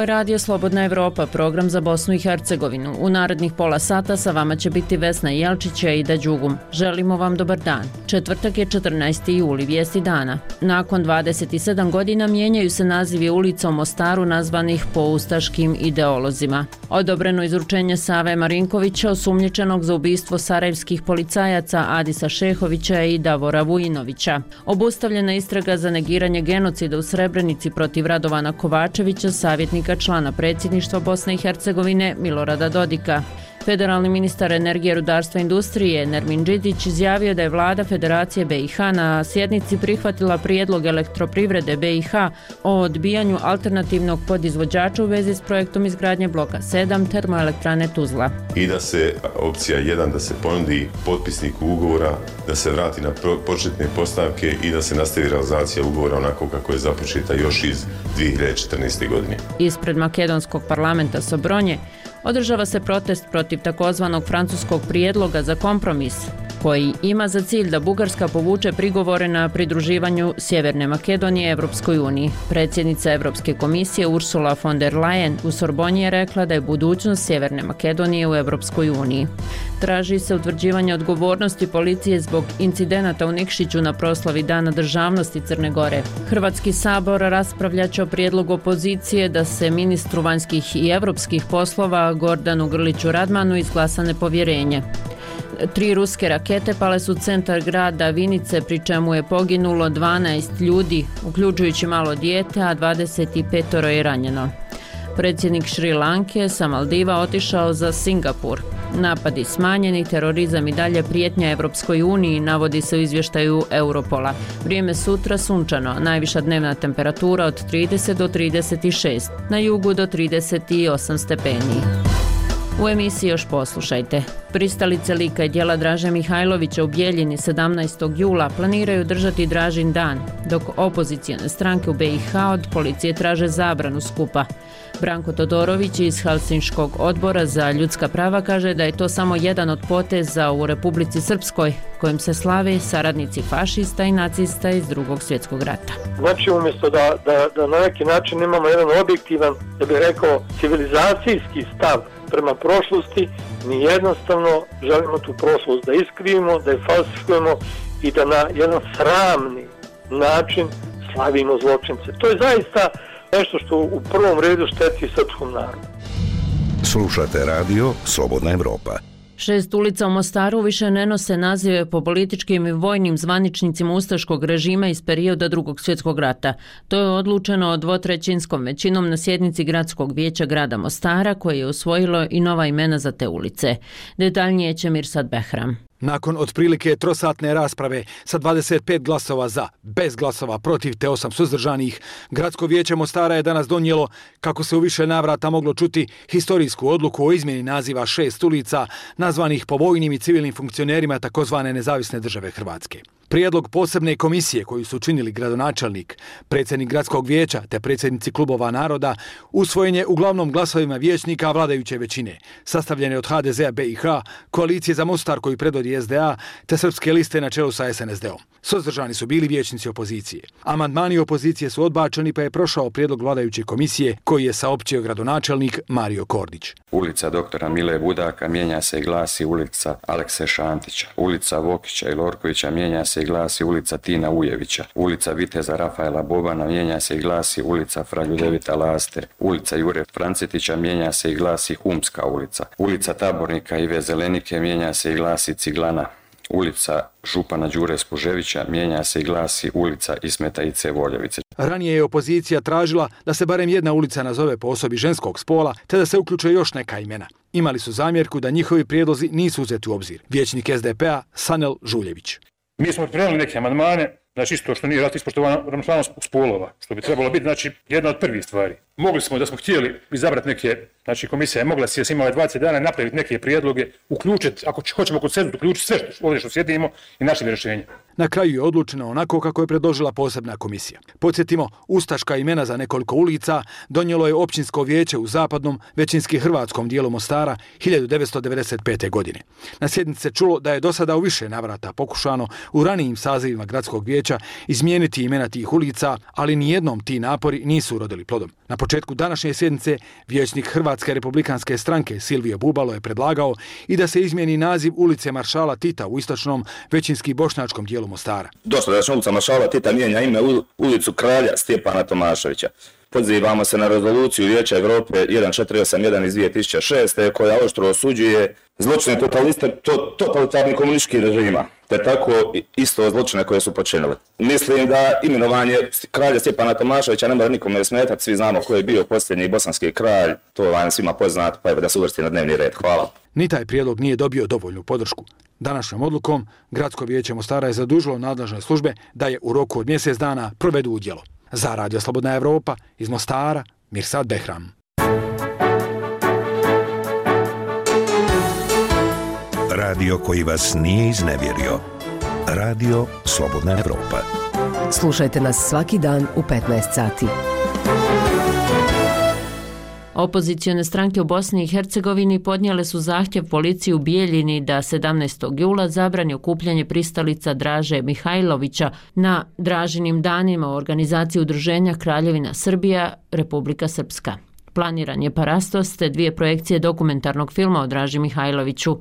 je Radio Slobodna Evropa, program za Bosnu i Hercegovinu. U narednih pola sata sa vama će biti Vesna Jelčić i Aida Đugum. Želimo vam dobar dan. Četvrtak je 14. juli, vijesti dana. Nakon 27 godina mijenjaju se nazivi ulica u Mostaru nazvanih po ustaškim ideolozima. Odobreno izručenje Save Marinkovića, osumnjičenog za ubistvo sarajevskih policajaca Adisa Šehovića i Davora Vujinovića. Obustavljena istraga za negiranje genocida u Srebrenici protiv Radovana Kovačevića, savjetnika člana predsjedništva Bosne i Hercegovine Milorada Dodika. Federalni ministar energije, rudarstva i industrije Nermin Đidić izjavio da je vlada Federacije BiH na sjednici prihvatila prijedlog elektroprivrede BiH o odbijanju alternativnog podizvođača u vezi s projektom izgradnje bloka 7 termoelektrane Tuzla. I da se opcija 1 da se ponudi potpisniku ugovora da se vrati na početne postavke i da se nastavi realizacija ugovora onako kako je započeta još iz 2014. godine. Ispred makedonskog parlamenta Sobronje održava se protest protiv takozvanog francuskog prijedloga za kompromis, koji ima za cilj da Bugarska povuče prigovore na pridruživanju Sjeverne Makedonije Evropskoj uniji. Predsjednica Europske komisije Ursula von der Leyen u Sorbonji je rekla da je budućnost Sjeverne Makedonije u Evropskoj uniji. Traži se utvrđivanje odgovornosti policije zbog incidenata u Nikšiću na proslavi Dana državnosti Crne Gore. Hrvatski sabor raspravljaće o prijedlogu opozicije da se ministru vanjskih i evropskih poslova Gordanu Grliću Radmanu izglasa nepovjerenje. 3 ruske rakete pale su centar grada Vinice, pri čemu je poginulo 12 ljudi, uključujući malo dijete, a 25 je ranjeno. Predsjednik Šri Lanke sa Maldiva otišao za Singapur. Napadi smanjeni, terorizam i dalje prijetnja Evropskoj uniji, navodi se u izvještaju Europola. Vrijeme sutra sunčano, najviša dnevna temperatura od 30 do 36, na jugu do 38 stepeni. U emisiji još poslušajte. Pristalice lika i djela Draže Mihajlovića u Bijeljini 17. jula planiraju držati Dražin dan, dok opozicijone stranke u BiH od policije traže zabranu skupa. Branko Todorović iz Helsinškog odbora za ljudska prava kaže da je to samo jedan od poteza u Republici Srpskoj, kojim se slave saradnici fašista i nacista iz Drugog svjetskog rata. Znači, umjesto da na neki način imamo jedan objektivan, da bih rekao, civilizacijski stav prema prošlosti, mi jednostavno želimo tu prošlost da iskrivimo, da je falsifikujemo i da na jedan sramni način slavimo zločince. To je zaista nešto što u prvom redu šteti srpskom narodu. Slušate radio Slobodna Evropa. 6 ulica u Mostaru više ne nose nazive po političkim i vojnim zvaničnicima ustaškog režima iz perioda Drugog svjetskog rata. To je odlučeno dvotrećinskom većinom na sjednici Gradskog vijeća grada Mostara, koje je usvojilo i nova imena za te ulice. Detaljnije će Mirsad Behram. Nakon otprilike trosatne rasprave sa 25 glasova za, bez glasova protiv te 8 suzdržanih, Gradsko vijeće Mostara je danas donijelo, kako se u više navrata moglo čuti, historijsku odluku o izmjeni naziva 6 ulica nazvanih po vojnim i civilnim funkcionerima takozvane nezavisne države Hrvatske. Prijedlog posebne komisije koju su činili gradonačelnik, predsjednik Gradskog vijeća te predsjednici klubova naroda usvojen je uglavnom glasovima vijećnika vladajuće većine, sastavljene od HDZ-a BiH, koalicije za Mostar koju predvodi SDA te srpske liste na čelu sa SNSD-om. Suzdržani su bili vijećnici opozicije. Amandmani opozicije su odbačeni pa je prošao prijedlog vladajuće komisije koji je saopćio gradonačelnik Mario Kordić. Ulica doktora Mile Budaka mijenja se i glasi ulica Alekse Šantića. Ulica Vokića i Lorkovića mijenja se i glasi ulica Tina Ujevića. Ulica Viteza Rafaela Bobana mijenja se i glasi ulica Fra Ljudevita Laste. Ulica Jure Francetića mijenja se i glasi Humska ulica. Ulica Tabornika Ive Zelenike mijenja se i glasi Ciglana. Ulica župana Đure Spuževića mijenja se i glasi ulica Ismeta Ice Voljevice. Ranije je opozicija tražila da se barem jedna ulica nazove po osobi ženskog spola, te da se uključe još neka imena. Imali su zamjerku da njihovi prijedlozi nisu uzeti u obzir. Vijećnik SDP-a Sanel Žuljević. Mi smo pripremili neke amandmane, znači isto što nije ispoštovana ravnopravnost spolova, što bi trebalo biti, znači, jedna od prvih stvari. Mogli smo, da smo htjeli izabrati neke, znači komisija je mogla si imala 20 dana napraviti neke prijedloge, uključiti, ako hoćemo konsenzus, uključiti sve ovdje što sjedimo i našli rješenje. Na kraju je odlučeno onako kako je predložila posebna komisija. Podsjetimo, ustaška imena za nekoliko ulica donijelo je općinsko vijeće u zapadnom, većinski hrvatskom dijelu Mostara 1995. godine. Na sjednici se čulo da je do sada u više navrata pokušano u ranijim sazivima gradskog vijeća izmijeniti imena tih ulica, ali nijednom ti napori nisu urodili plodom. Na početku današnje sjednice vijećnik Hrvatske republikanske stranke Silvio Bubalo je predlagao i da se izmijeni naziv ulice Maršala Tita u istočnom većinski bošnjačkom dijelu Mostara. Dosadašnja ulica Maršala Tita mijenja ime ulicu kralja Stjepana Tomaševića. Pozivamo se na rezoluciju Vijeća Europe 1481 iz 2006. koja oštro osuđuje zločine totalitarnih komunističkih režima, te tako isto zločine koje su počinili. Mislim da imenovanje kralja Stjepana Tomaševića ne mora nikome smetati, svi znamo ko je bio posljednji bosanski kralj, to vam svima poznat, pa evo da se uvrsti na dnevni red. Hvala. Ni taj prijedlog nije dobio dovoljnu podršku. Današnjom odlukom Gradsko vijeće Mostara je zadužilo nadležne službe da je u roku od mjesec dana provedu u djelo. Za Radio Slobodna Evropa, iz Mostara, Mirsad Behram. Radio koji vas nije iznevjerio. Radio Slobodna Evropa. Slušajte nas svaki dan u 15 sati. Opozicione stranke u Bosni i Hercegovini podnijele su zahtjev policiji u Bijeljini da 17. jula zabrani okupljanje pristalica Draže Mihajlovića na Dražinim danima u organizaciji udruženja Kraljevina Srbija, Republika Srpska. Planiran je parastos te 2 projekcije dokumentarnog filma o Draži Mihajloviću.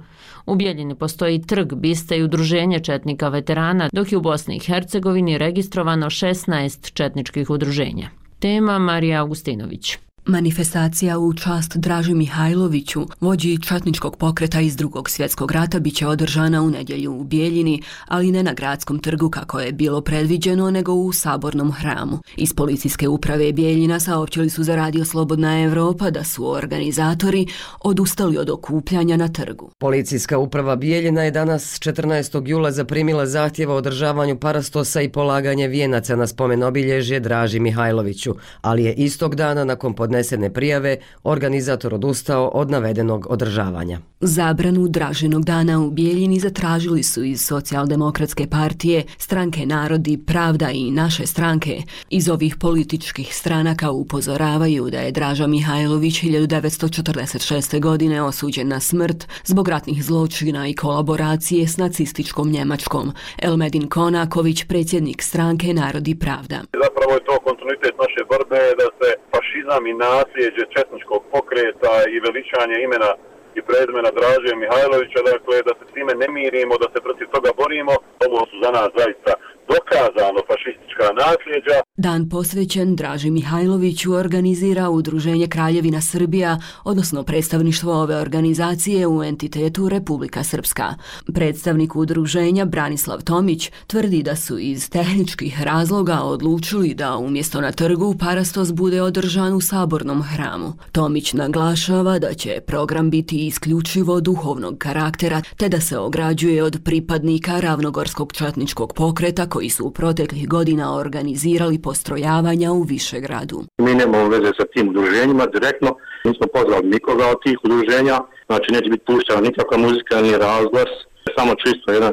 U Bijeljini postoji trg, biste i udruženje četnika veterana, dok je u Bosni i Hercegovini registrovano 16 četničkih udruženja. Tema Marija Augustinović. Manifestacija u čast Draži Mihajloviću, vođi četničkog pokreta iz Drugog svjetskog rata, biće održana u nedjelju u Bijeljini, ali ne na gradskom trgu kako je bilo predviđeno, nego u Sabornom hramu. Iz policijske uprave Bijeljina saopćili su za Radio Slobodna Evropa da su organizatori odustali od okupljanja na trgu. Policijska uprava Bijeljina je danas 14. jula zaprimila zahtjeva o održavanju parastosa i polaganje vijenaca na spomen obilježje Draži Mihajloviću, ali je istog dana nakon podnesene prijave organizator odustao od navedenog održavanja. Zabranu Dražinog dana u Bijeljini zatražili su iz Socijaldemokratske partije, Stranke Narodi, Pravda i Naše stranke. Iz ovih političkih stranaka upozoravaju da je Draža Mihajlović 1946. godine osuđen na smrt zbog ratnih zločina i kolaboracije s nacističkom Njemačkom. Elmedin Konaković, predsjednik Stranke Narodi, Pravda. Zapravo je to kontinuitet naše borbe da se fašizam i nasljeđe četničkog pokreta i veličanje imena i prezimena Draže Mihajlovića, dakle da se s time ne mirimo, da se protiv toga borimo. Ovo su za nas zaista dokazano fašistička nasljeđa. Dan posvećen Draži Mihajloviću organizira Udruženje Kraljevina Srbija, odnosno predstavništvo ove organizacije u entitetu Republika Srpska. Predstavnik udruženja Branislav Tomić tvrdi da su iz tehničkih razloga odlučili da umjesto na trgu parastos bude održan u Sabornom hramu. Tomić naglašava da će program biti isključivo duhovnog karaktera, te da se ograđuje od pripadnika Ravnogorskog četničkog pokreta koji su u proteklih godina organizirali postrojavanja u Višegradu. Mi nemamo veze sa tim udruženjima direktno, nismo pozvali nikoga od tih udruženja, znači neće biti puštena nikakva muzika, ni razglas, samo čisto jedan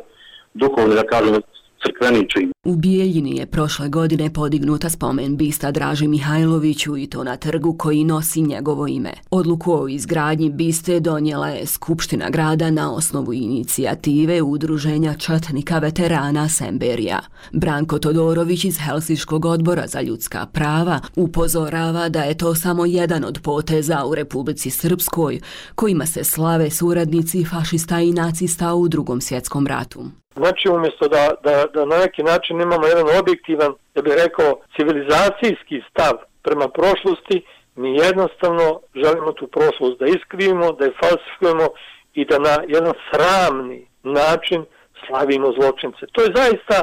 duhovni, da kažem, crkveni čin. U Bijeljini je prošle godine podignuta spomen bista Draži Mihajloviću i to na trgu koji nosi njegovo ime. Odluku o izgradnji biste donijela je Skupština grada na osnovu inicijative Udruženja četnika veterana Semberija. Branko Todorović iz Helsinškog odbora za ljudska prava upozorava da je to samo jedan od poteza u Republici Srpskoj kojima se slave suradnici fašista i nacista u Drugom svjetskom ratu. Znači, umjesto da na neki način imamo jedan objektivan, da bih rekao, civilizacijski stav prema prošlosti, mi jednostavno želimo tu prošlost da iskrivimo, da je falsifikujemo i da na jedan sramni način slavimo zločince. To je zaista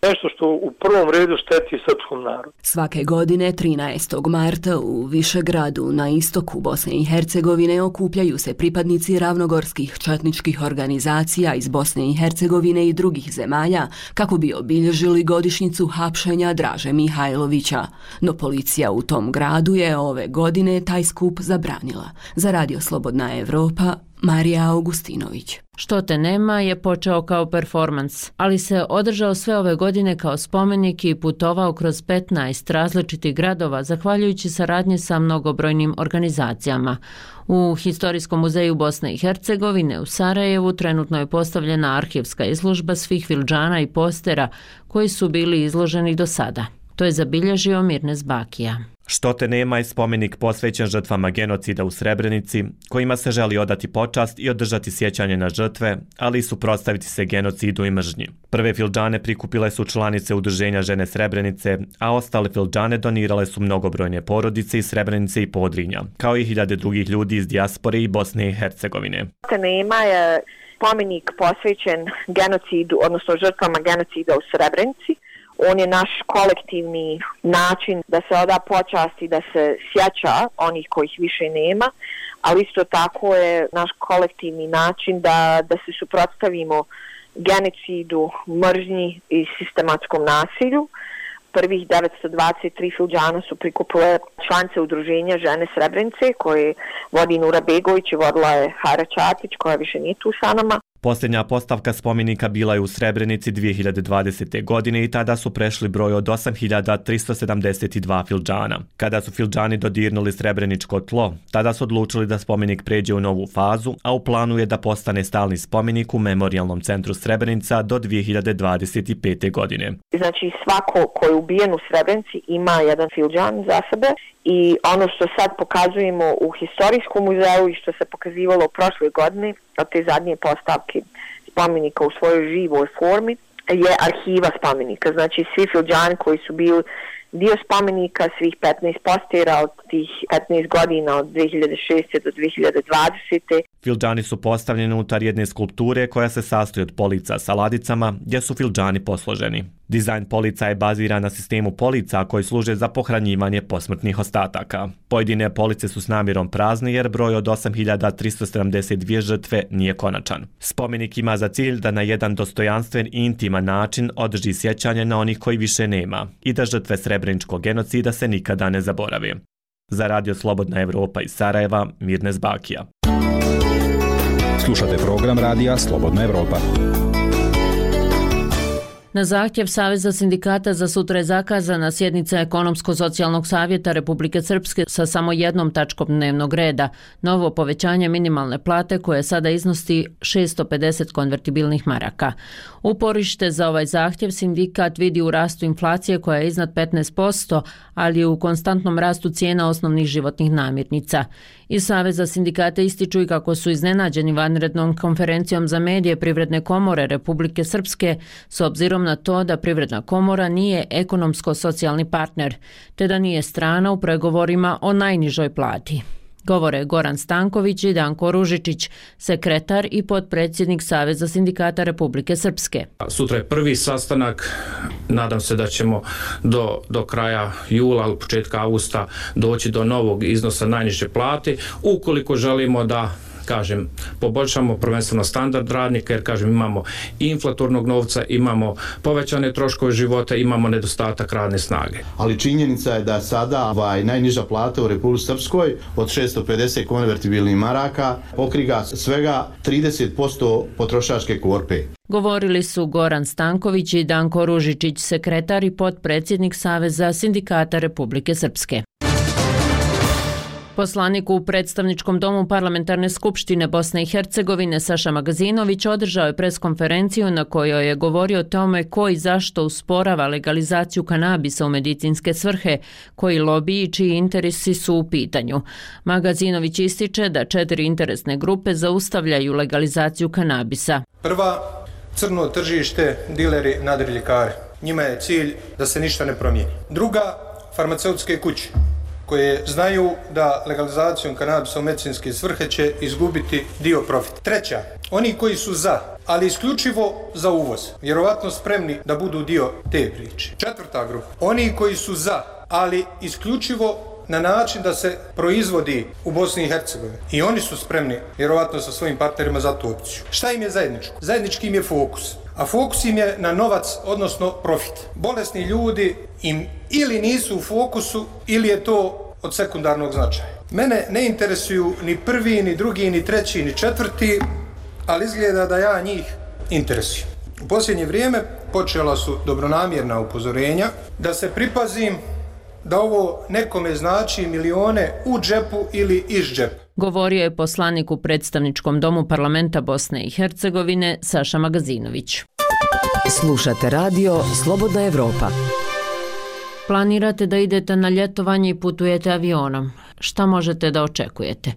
nešto što u prvom redu šteti srpskom narodu. Svake godine 13. marta u Višegradu na istoku Bosne i Hercegovine okupljaju se pripadnici ravnogorskih četničkih organizacija iz Bosne i Hercegovine i drugih zemalja kako bi obilježili godišnjicu hapšenja Draže Mihajlovića. No policija u tom gradu je ove godine taj skup zabranila. Za Radio Slobodna Evropa, Marija Augustinović. Što te nema je počeo kao performans, ali se održao sve ove godine kao spomenik i putovao kroz 15 različitih gradova zahvaljujući saradnji sa mnogobrojnim organizacijama. U Historijskom muzeju Bosne i Hercegovine u Sarajevu trenutno je postavljena arhivska izložba svih filđana i postera koji su bili izloženi do sada. To je zabilježio Mirnes Bakija. Što te nema je spomenik posvećen žrtvama genocida u Srebrenici, kojima se želi odati počast i održati sjećanje na žrtve, ali i suprotstaviti se genocidu i mržnji. Prve fildžane prikupile su članice Udruženja žene Srebrenice, a ostale fildžane donirale su mnogobrojne porodice iz Srebrenice i Podrinja, kao i hiljade drugih ljudi iz dijaspore i Bosne i Hercegovine. Nema je spomenik posvećen genocidu, odnosno žrtvama genocida u Srebrenici. On je naš kolektivni način da se oda počast i da se sjeća onih kojih više nema, ali isto tako je naš kolektivni način da se suprotstavimo genocidu, mržnji i sistematskom nasilju. Prvih 923 fildžana su prikupile članice Udruženja žene Srebrenice koje vodi Nura Begović i vodila je Hara Čatić koja više nije tu sa nama. Posljednja postavka spomenika bila je u Srebrenici 2020. godine i tada su prešli broj od 8372 fildžana. Kada su fildžani dodirnuli srebreničko tlo, tada su odlučili da spomenik pređe u novu fazu, a u planu je da postane stalni spomenik u Memorijalnom centru Srebrenica do 2025. godine. Znači svako ko je ubijen u Srebrenici ima jedan fildžan za sebe i ono što sad pokazujemo u historijskom muzeju i što se pokazivalo prošle godine od te zadnje postavke spomenika u svojoj živoj formi je arhiva spomenika. Znači svi fildžani koji su bili dio spomenika, svih 15 postera od tih 15 godina od 2006. do 2020. Fildžani su postavljeni unutar jedne skulpture koja se sastoji od polica sa ladicama gdje su fildžani posloženi. Dizajn polica je baziran na sistemu polica koji služe za pohranjivanje posmrtnih ostataka. Pojedine police su s namjerom prazne jer broj od 8372 žrtve nije konačan. Spomenik ima za cilj da na jedan dostojanstven i intiman način održi sjećanje na onih koji više nema i da žrtve srebreničkog genocida se nikada ne zaborave. Za Radio Slobodna Evropa iz Sarajeva, Mirnes Bakija. Slušate program Radija Slobodna Evropa. Na zahtjev Saveza sindikata za sutra je zakazana sjednica Ekonomsko-socijalnog savjeta Republike Srpske sa samo jednom tačkom dnevnog reda, novo povećanje minimalne plate koje sada iznosi 650 konvertibilnih maraka. Uporište za ovaj zahtjev sindikat vidi u rastu inflacije koja je iznad 15%, ali i u konstantnom rastu cijena osnovnih životnih namirnica. Iz Saveza sindikata ističu i kako su iznenađeni vanrednom konferencijom za medije Privredne komore Republike Srpske s obzirom na to da Privredna komora nije ekonomsko-socijalni partner, te da nije strana u pregovorima o najnižoj plati. Govore Goran Stanković i Danko Ružičić, sekretar i potpredsjednik Saveza sindikata Republike Srpske. Sutra je prvi sastanak, nadam se da ćemo do kraja jula ili početka avgusta doći do novog iznosa najniže plate, ukoliko želimo da poboljšamo prvenstveno standard radnika, jer imamo i inflatornog novca, imamo povećane troškove života, imamo nedostatak radne snage. Ali činjenica je da sada najniža plata u Republici Srpskoj od 650 konvertibilnih maraka pokriva svega 30% potrošačke korpe. Govorili su Goran Stanković i Danko Ružičić, sekretar i potpredsjednik Saveza sindikata Republike Srpske. Poslanik u predstavničkom domu Parlamentarne skupštine Bosne i Hercegovine Saša Magazinović održao je preskonferenciju na kojoj je govorio o tome ko i zašto usporava legalizaciju kanabisa u medicinske svrhe, koji lobiji i čiji interesi su u pitanju. Magazinović ističe da 4 interesne grupe zaustavljaju legalizaciju kanabisa. Prva, crno tržište, dileri, nadriljkari. Njima je cilj da se ništa ne promijeni. Druga, farmaceutske kuće, koje znaju da legalizacijom kanabisa u medicinske svrhe će izgubiti dio profita. Treća, oni koji su za, ali isključivo za uvoz, vjerovatno spremni da budu dio te priče. Četvrta grupa, oni koji su za, ali isključivo na način da se proizvodi u Bosni i Hercegovini. I oni su spremni, vjerovatno sa svojim partnerima, za tu opciju. Šta im je zajedničko? Zajednički im je fokus. A fokus im je na novac, odnosno profit. Bolesni ljudi im ili nisu u fokusu, ili je to od sekundarnog značaja. Mene ne interesuju ni prvi, ni drugi, ni treći, ni četvrti, ali izgleda da ja njih interesujem. U posljednje vrijeme počela su dobronamjerna upozorenja da se pripazim da ovo nekome znači milione u džepu ili iz džepa. Govorio je poslanik u predstavničkom domu Parlamenta Bosne i Hercegovine Saša Magazinović. Slušate radio Slobodna Evropa. Planirate da idete na ljetovanje i putujete avionom. Šta možete da očekujete?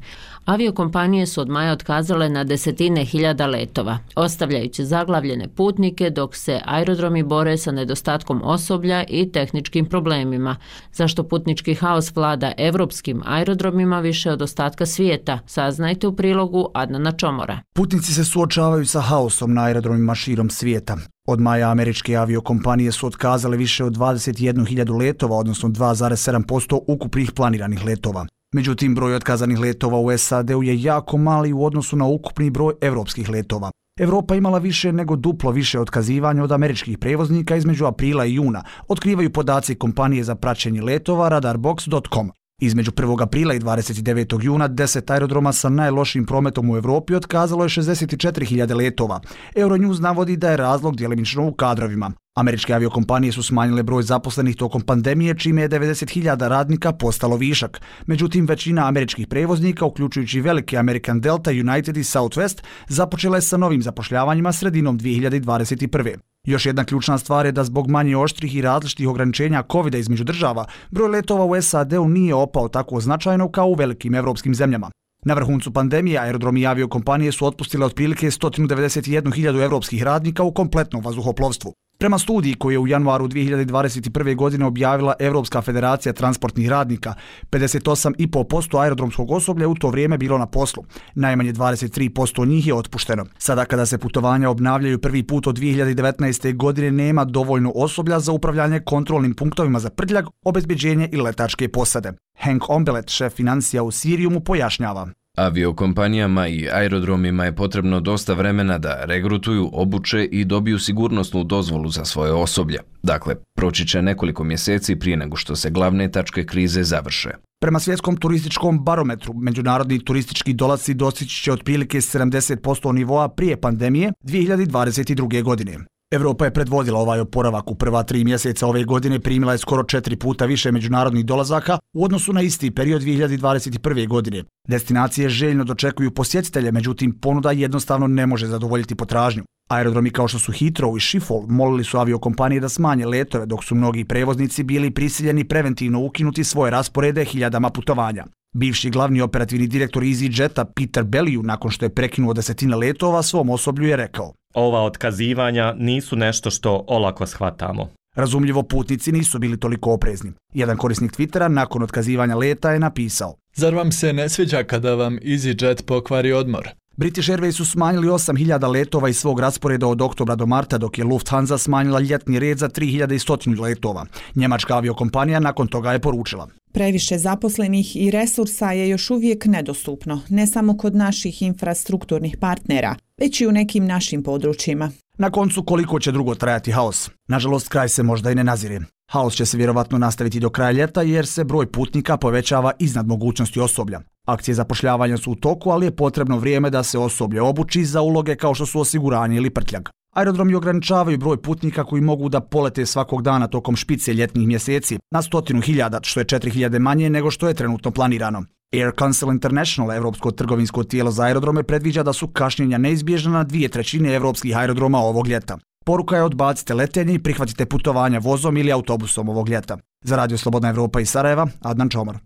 Aviokompanije su od maja otkazale na desetine hiljada letova, ostavljajući zaglavljene putnike dok se aerodromi bore sa nedostatkom osoblja i tehničkim problemima, zašto putnički haos vlada evropskim aerodromima više od ostatka svijeta. Saznajte u prilogu Adnana Čomora. Putnici se suočavaju sa haosom na aerodromima širom svijeta. Od maja američke aviokompanije su otkazale više od 21.000 letova, odnosno 2,7% ukupnih planiranih letova. Međutim, broj otkazanih letova u SAD-u je jako mali u odnosu na ukupni broj evropskih letova. Evropa imala više nego duplo više otkazivanja od američkih prevoznika između aprila i juna, otkrivaju podaci kompanije za praćenje letova radarbox.com. Između 1. aprila i 29. juna 10 aerodroma sa najlošijim prometom u Evropi otkazalo je 64.000 letova. Euronews navodi da je razlog djelimično u kadrovima. Američke aviokompanije su smanjile broj zaposlenih tokom pandemije, čime je 90.000 radnika postalo višak. Međutim, većina američkih prevoznika, uključujući velike American Delta, United i Southwest, započela je sa novim zapošljavanjima sredinom 2021. Još jedna ključna stvar je da zbog manje oštrih i različitih ograničenja COVID-a između država, broj letova u SAD-u nije opao tako značajno kao u velikim evropskim zemljama. Na vrhuncu pandemije aerodromi i aviokompanije su otpustile otprilike 191.000 evropskih radnika u kompletnom vazduhoplovstvu. Prema studiji koju je u januaru 2021. godine objavila Evropska federacija transportnih radnika, 58,5% aerodromskog osoblja u to vrijeme bilo na poslu. Najmanje 23% njih je otpušteno. Sada kada se putovanja obnavljaju prvi put od 2019. godine nema dovoljno osoblja za upravljanje kontrolnim punktovima za prtljag, obezbeđenje i letačke posade. Hank Ombelet, šef financija u Siriumu, pojašnjava. Aviokompanijama i aerodromima je potrebno dosta vremena da regrutuju, obuče i dobiju sigurnosnu dozvolu za svoje osoblje. Dakle, proći će nekoliko mjeseci prije nego što se glavne tačke krize završe. Prema svjetskom turističkom barometru, međunarodni turistički dolasci dostići će otprilike 70% nivoa prije pandemije 2022. godine. Evropa je predvodila ovaj oporavak. U prva 3 mjeseca ove godine primila je skoro 4 puta više međunarodnih dolazaka u odnosu na isti period 2021. godine. Destinacije željno dočekuju posjetitelje, međutim ponuda jednostavno ne može zadovoljiti potražnju. Aerodromi kao što su Heathrow i Schiphol molili su aviokompanije da smanje letove, dok su mnogi prevoznici bili prisiljeni preventivno ukinuti svoje rasporede hiljadama putovanja. Bivši glavni operativni direktor EasyJeta Peter Bellew, nakon što je prekinuo desetine letova, svom osoblju je rekao: Ova otkazivanja nisu nešto što olako shvatamo. Razumljivo, putnici nisu bili toliko oprezni. Jedan korisnik Twittera nakon otkazivanja leta je napisao: Zar vam se ne sviđa kada vam EasyJet pokvari odmor? British Airways su smanjili 8.000 letova iz svog rasporeda od oktobra do marta, dok je Lufthansa smanjila ljetni red za 3.100 letova. Njemačka aviokompanija nakon toga je poručila: Previše zaposlenih i resursa je još uvijek nedostupno, ne samo kod naših infrastrukturnih partnera, već i u nekim našim područjima. Na koncu, koliko će dugo trajati haos? Nažalost, kraj se možda i ne nazire. Haos će se vjerovatno nastaviti do kraja ljeta jer se broj putnika povećava iznad mogućnosti osoblja. Akcije zapošljavanja su u toku, ali je potrebno vrijeme da se osoblje obuči za uloge kao što su osiguranje ili prtljag. Aerodromi ograničavaju broj putnika koji mogu da polete svakog dana tokom špice ljetnih mjeseci na 100.000, što je 4.000 manje nego što je trenutno planirano. Air Council International, evropsko trgovinsko tijelo za aerodrome, predviđa da su kašnjenja neizbježna na 2/3 evropskih aerodroma ovog ljeta. Poruka je: odbacite letenje i prihvatite putovanja vozom ili autobusom ovog ljeta. Za Radio Slobodna Evropa iz Sarajeva, Adnan Čomor.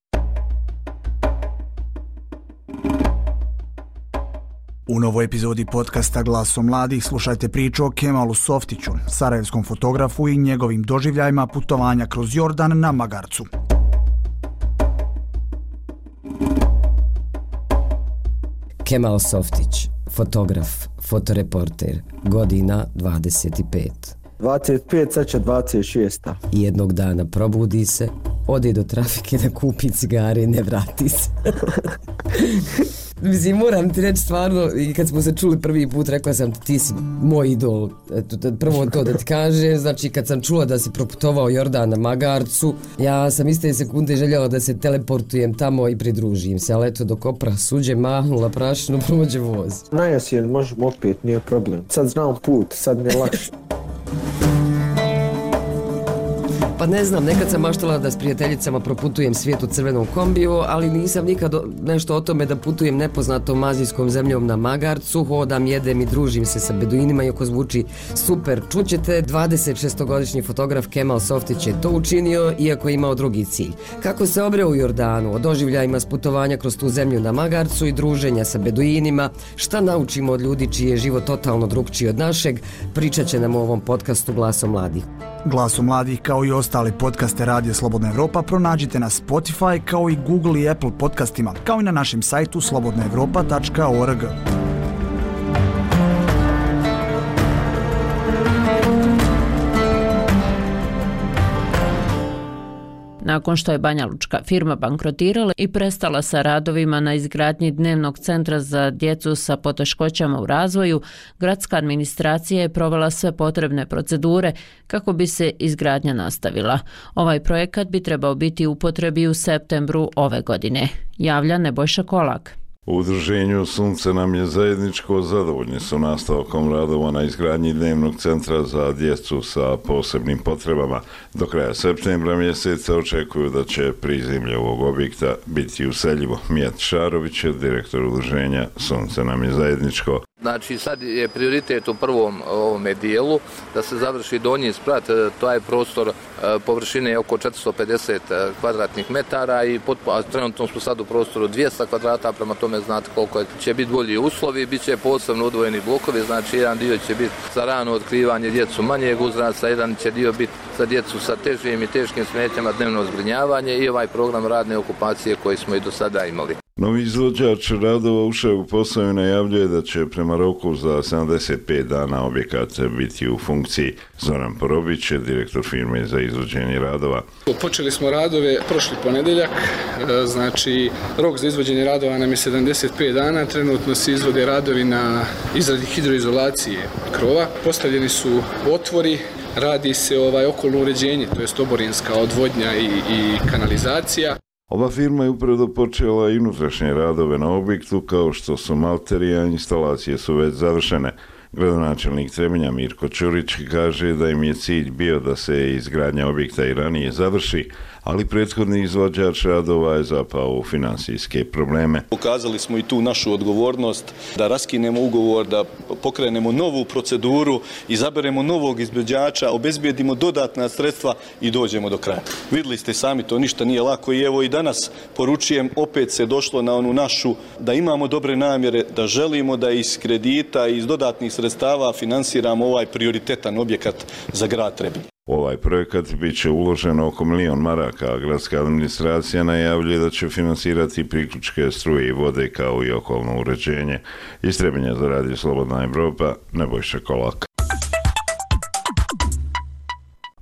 U novoj epizodi podcasta Glasom mladih slušajte priču o Kemalu Softiću, sarajevskom fotografu i njegovim doživljajima putovanja kroz Jordan na magarcu. Kemal Softić, fotograf, fotoreporter, godina 25. 25, sad će 26. Jednog dana probudi se, ode do trafike da kupi cigare i ne vrati se. Mislim, moram ti reći stvarno, i kad smo se čuli prvi put, rekla sam ti si moj idol. Prvo to da ti kažem, znači kad sam čula da si proputovao Jordan na magarcu, ja sam iste sekunde željela da se teleportujem tamo i pridružim se, ali eto dok opra suđe mahnula prašinu, prođe voz. Najjesen možemo opet, nije problem. Sad znam put, sad mi je lakše. Pa ne znam, nekad sam maštala da s prijateljicama proputujem svijet u crvenom kombiju, ali nisam nikad nešto o tome da putujem nepoznatom azijskom zemljom na magarcu, hodam, jedem i družim se sa beduinima, iako zvuči super. Čućete, 26-godišnji fotograf Kemal Softić je to učinio, iako je imao drugi cilj. Kako se obreo u Jordanu, o doživljajima s putovanja kroz tu zemlju na magarcu i druženja sa beduinima, šta naučimo od ljudi čiji je život totalno drugčiji od našeg, pričat će nam u ovom podcastu Glaso mladih. Glaso mladih kao i ostali podcaste Radija Slobodna Evropa pronađite na Spotify kao i Google i Apple podcastima, kao i na našem sajtu slobodnaevropa.org. Nakon što je banjalučka firma bankrotirala i prestala sa radovima na izgradnji dnevnog centra za djecu sa poteškoćama u razvoju, gradska administracija je provela sve potrebne procedure kako bi se izgradnja nastavila. Ovaj projekat bi trebao biti u upotrebi u septembru ove godine, javlja Nebojša Kolak. U udruženju Sunce nam je zajedničko, zadovoljni su nastavkom radova na izgradnji dnevnog centra za djecu sa posebnim potrebama. Do kraja septembra mjeseca očekuju da će prizemlje ovog objekta biti useljivo. Mijat Šarović je direktor udruženja Sunce nam je zajedničko. Znači sad je prioritet u prvom ovome dijelu da se završi donji sprat, to je prostor površine oko 450 kvadratnih metara i trenutno smo sad u prostoru 200 kvadrata, prema tome znate koliko će biti bolji uslovi, bit će posebno odvojeni blokovi, znači jedan dio će biti za rano otkrivanje djecu manjeg uzrasta, jedan će dio biti za djecu sa težim i teškim smetnjama dnevno zbrinjavanje i ovaj program radne okupacije koji smo i do sada imali. Novi izvođač radova ušao u posao i najavljuje da će prema roku za 75 dana objekat biti u funkciji. Zoran Porobić je direktor firme za izvođenje radova. Počeli smo radove prošli ponedjeljak, znači rok za izvođenje radova nam je 75 dana, trenutno se izvode radovi na izradi hidroizolacije krova, postavljeni su otvori, radi se okolno uređenje, to jest oborinska odvodnja i kanalizacija. Ova firma je upravo počela i unutrašnje radove na objektu, kao što su malterija, instalacije su već završene. Gradonačelnik Trebinja Mirko Ćurić kaže da im je cilj bio da se izgradnja objekta i ranije završi, ali prethodni izvođač radova je zapao u finansijske probleme. Pokazali smo i tu našu odgovornost da raskinemo ugovor, da pokrenemo novu proceduru, izaberemo novog izvođača, obezbijedimo dodatna sredstva i dođemo do kraja. Vidjeli ste sami, to ništa nije lako i evo i danas poručujem, opet se došlo na onu našu, da imamo dobre namjere, da želimo da iz kredita i iz dodatnih sredstava finansiramo ovaj prioritetan objekat za grad Trebinje. U ovaj projekat bit će uloženo oko 1 milion maraka, a gradska administracija najavljuje da će finansirati priključke struje i vode kao i okolno uređenje. Iz Trebinja za Radio Slobodna Evropa, Nebojša Kolak.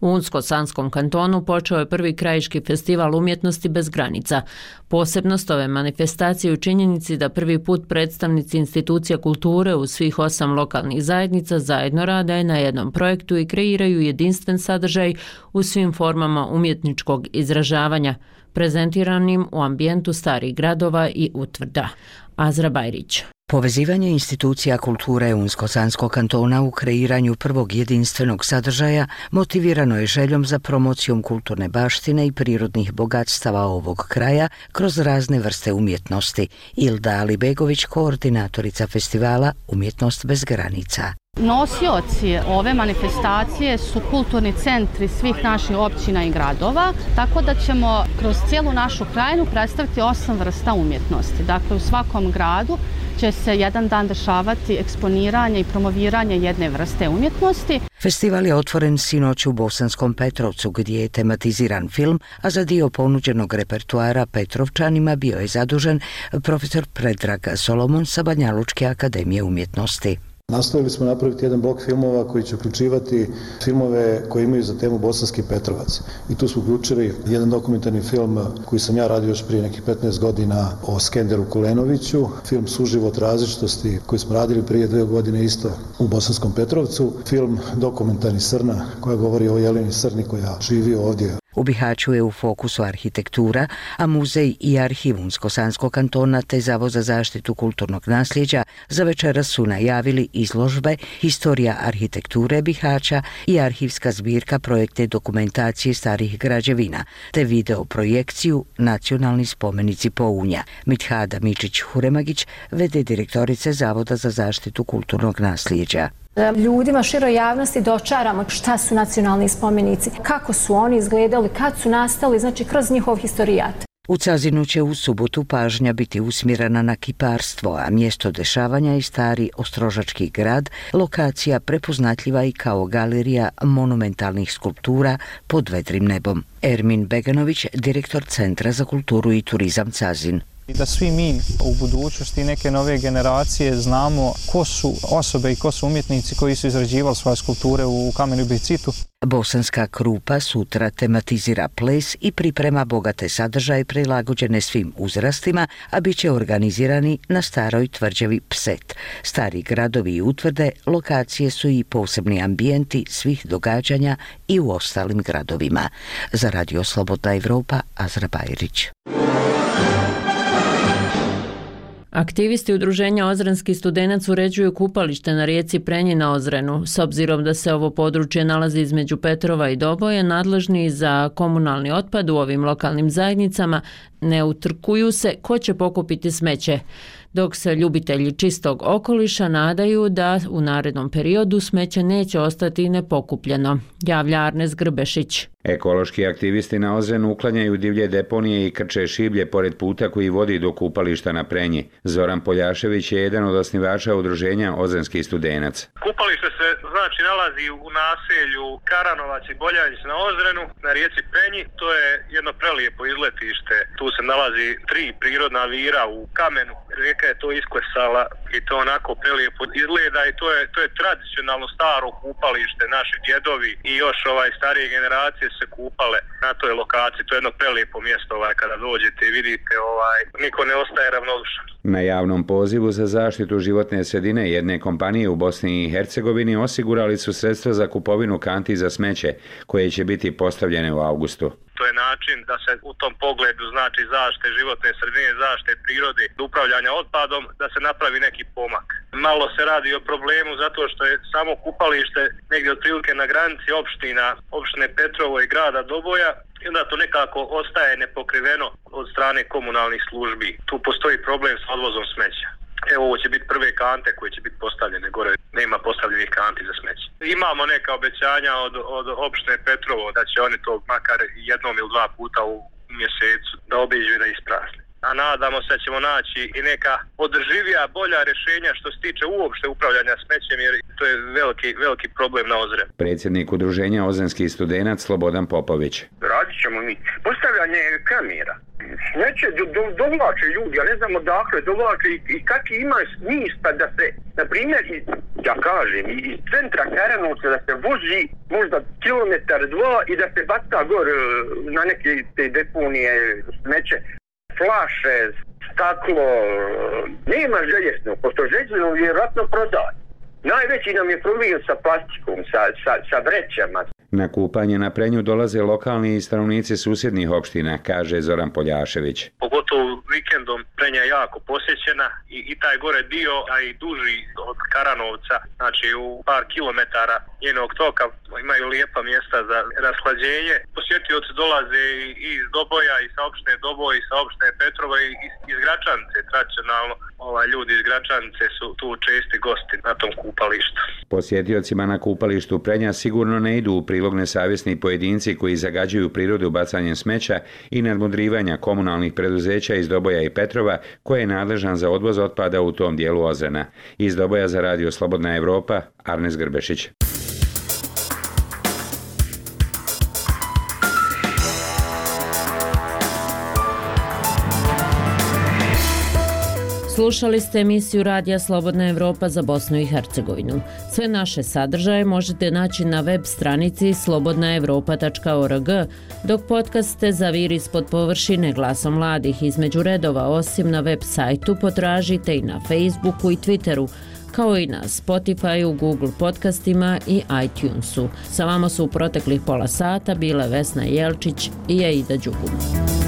U Unsko-Sanskom kantonu počeo je prvi krajiški festival umjetnosti bez granica. Posebnost ove manifestacije u činjenici da prvi put predstavnici institucija kulture u svih 8 lokalnih zajednica zajedno rade na jednom projektu i kreiraju jedinstven sadržaj u svim formama umjetničkog izražavanja, prezentiranim u ambijentu starih gradova i utvrda. Azra Bajrić. Povezivanje institucija kulture Unsko-Sanskog kantona u kreiranju prvog jedinstvenog sadržaja motivirano je željom za promocijom kulturne baštine i prirodnih bogatstava ovog kraja kroz razne vrste umjetnosti. Ilda Alibegović, koordinatorica festivala Umjetnost bez granica. Nosioci ove manifestacije su kulturni centri svih naših općina i gradova, tako da ćemo kroz cijelu našu krajinu predstaviti 8 vrsta umjetnosti. Dakle, u svakom gradu će se jedan dan dešavati eksponiranje i promoviranje jedne vrste umjetnosti. Festival je otvoren sinoć u Bosanskom Petrovcu gdje je tematiziran film, a za dio ponuđenog repertuara Petrovčanima bio je zadužen profesor Predrag Solomon sa Banjalučke akademije umjetnosti. Nastojili smo napraviti jedan blok filmova koji će uključivati filmove koji imaju za temu Bosanski Petrovac. I tu smo uključili jedan dokumentarni film koji sam ja radio još prije nekih 15 godina o Skenderu Kulenoviću, film Suživot različitosti koji smo radili prije 2 godine isto u Bosanskom Petrovcu, film dokumentarni Srna koja govori o Jeleni Srni koja živi ovdje. U Bihaću je u fokusu arhitektura, a muzej i arhiv Unsko-Sanskog kantona te Zavod za zaštitu kulturnog nasljeđa za večeras su najavili izložbe Historija arhitekture Bihaća i arhivska zbirka projektne dokumentacije starih građevina, te video projekciju Nacionalni spomenici Pounja. Mithada Mičić-Huremagić, v.d. direktorice Zavoda za zaštitu kulturnog nasljeđa. Ljudima, široj javnosti dočaramo šta su nacionalni spomenici, kako su oni izgledali, kad su nastali, znači kroz njihov historijat. U Cazinu će u subotu pažnja biti usmjerena na kiparstvo, a mjesto dešavanja je stari Ostrožački grad, lokacija prepoznatljiva i kao galerija monumentalnih skulptura pod vedrim nebom. Ermin Beganović, direktor Centra za kulturu i turizam Cazin. I da svi mi u budućnosti neke nove generacije znamo ko su osobe i ko su umjetnici koji su izrađivali svoje skulpture u kamenu i bicitu. Bosanska Krupa sutra tematizira ples i priprema bogate sadržaje prilagođene svim uzrastima, a bit će organizirani na staroj tvrđavi Pset. Stari gradovi i utvrde lokacije su i posebni ambijenti svih događanja i u ostalim gradovima. Za Radio Slobodna Evropa, Azra Bajrić. Aktivisti udruženja Ozrenski studenac uređuju kupalište na rijeci Prenji na Ozrenu. S obzirom da se ovo područje nalazi između Petrova i Doboje, nadležni za komunalni otpad u ovim lokalnim zajednicama ne utrkuju se ko će pokupiti smeće, dok se ljubitelji čistog okoliša nadaju da u narednom periodu smeće neće ostati nepokupljeno, javlja Arnes Grbešić. Ekološki aktivisti na Ozrenu uklanjaju divlje deponije i krče šiblje pored puta koji vodi do kupališta na Prenji. Zoran Poljašević je jedan od osnivača udruženja Ozrenski studenac. Kupalište se znači nalazi u naselju Karanovac i Boljanjić na Ozrenu, na rijeci Prenji. To je jedno prelijepo izletište. Tu se nalazi 3 prirodna vira u kamenu. Rijeka je to isklesala i to onako prelijepo izgleda i to je tradicionalno staro kupalište. Naši djedovi i još starije generacije se kupale na toj lokaciji. To je jedno prelijepo mjesto kada dođete i vidite niko ne ostaje ravnodušan. Na javnom pozivu za zaštitu životne sredine jedne kompanije u Bosni i Hercegovini osigurali su sredstva za kupovinu kanti za smeće koje će biti postavljene u avgustu. To je način da se u tom pogledu znači zaštite životne sredine, zaštite prirode, upravljanja otpadom, da se napravi neki pomak. Malo se radi o problemu zato što je samo kupalište negdje otprilike na granici opštine Petrovo i grada Doboja i onda to nekako ostaje nepokriveno od strane komunalnih službi. Tu postoji problem s odvozom smeća. Evo, ovo će biti prve kante koje će biti postavljene gore. Nema postavljenih kanti za smeće. Imamo neka obećanja od opštine Petrovo da će oni to makar jednom ili 2 puta u mjesecu da obiđu i da isprazne. A nadamo se da ćemo naći i neka održivija, bolja rješenja što se tiče uopšte upravljanja smećem, jer to je veliki problem na Ozrenu. Predsjednik udruženja Ozrenski studenac Slobodan Popović. Radit ćemo mi postavljanje kamera. Smeće dovlače ljudi, ja ne znam odakle dovlače i kakvi ima smisla da se, na primjer, ja kažem, iz centra Karanovca da se vozi možda 1-2 kilometar i da se baca gore na neke te deponije smeće. Flaše, staklo, nema željezno, pošto željezno vjerojatno prodaje. Najveći nam je problem sa plastikom, sa vrećama. Na kupanje na Prenju dolaze lokalni i stanovnici susjednih opština, kaže Zoran Poljašević. Pogotovo vikendom Prenja je jako posjećena i taj gore dio, a i duži od Karanovca, znači u par kilometara njenog toka imaju lijepa mjesta za rashlađenje. Posjetioci dolaze i iz Doboja, i sa opštine Doboj, i sa opštine Petrova, i iz Gračanice. Tradicionalno ljudi iz Gračanice su tu česti gosti na tom kupalištu. Posjetiocima na kupalištu Prenja sigurno ne idu u prilog nesavjesni pojedinci koji zagađuju prirodu bacanjem smeća i nadmudrivanja komunalnih preduzeća iz Doboja i Petrova, koje je nadležan za odvoz otpada u tom dijelu Ozrena. Iz Doboja za Radio Slobodna Evropa, Arnes Grbešić. Slušali ste emisiju Radija Slobodna Evropa za Bosnu i Hercegovinu. Sve naše sadržaje možete naći na web stranici slobodnaevropa.org, dok podcaste Zaviri ispod površine glasom mladih između redova, osim na web sajtu, potražite i na Facebooku i Twitteru, kao i na Spotifyu, Google podcastima i iTunesu. Sa vama su u proteklih pola sata bile Vesna Jelčić i Aida Đugum.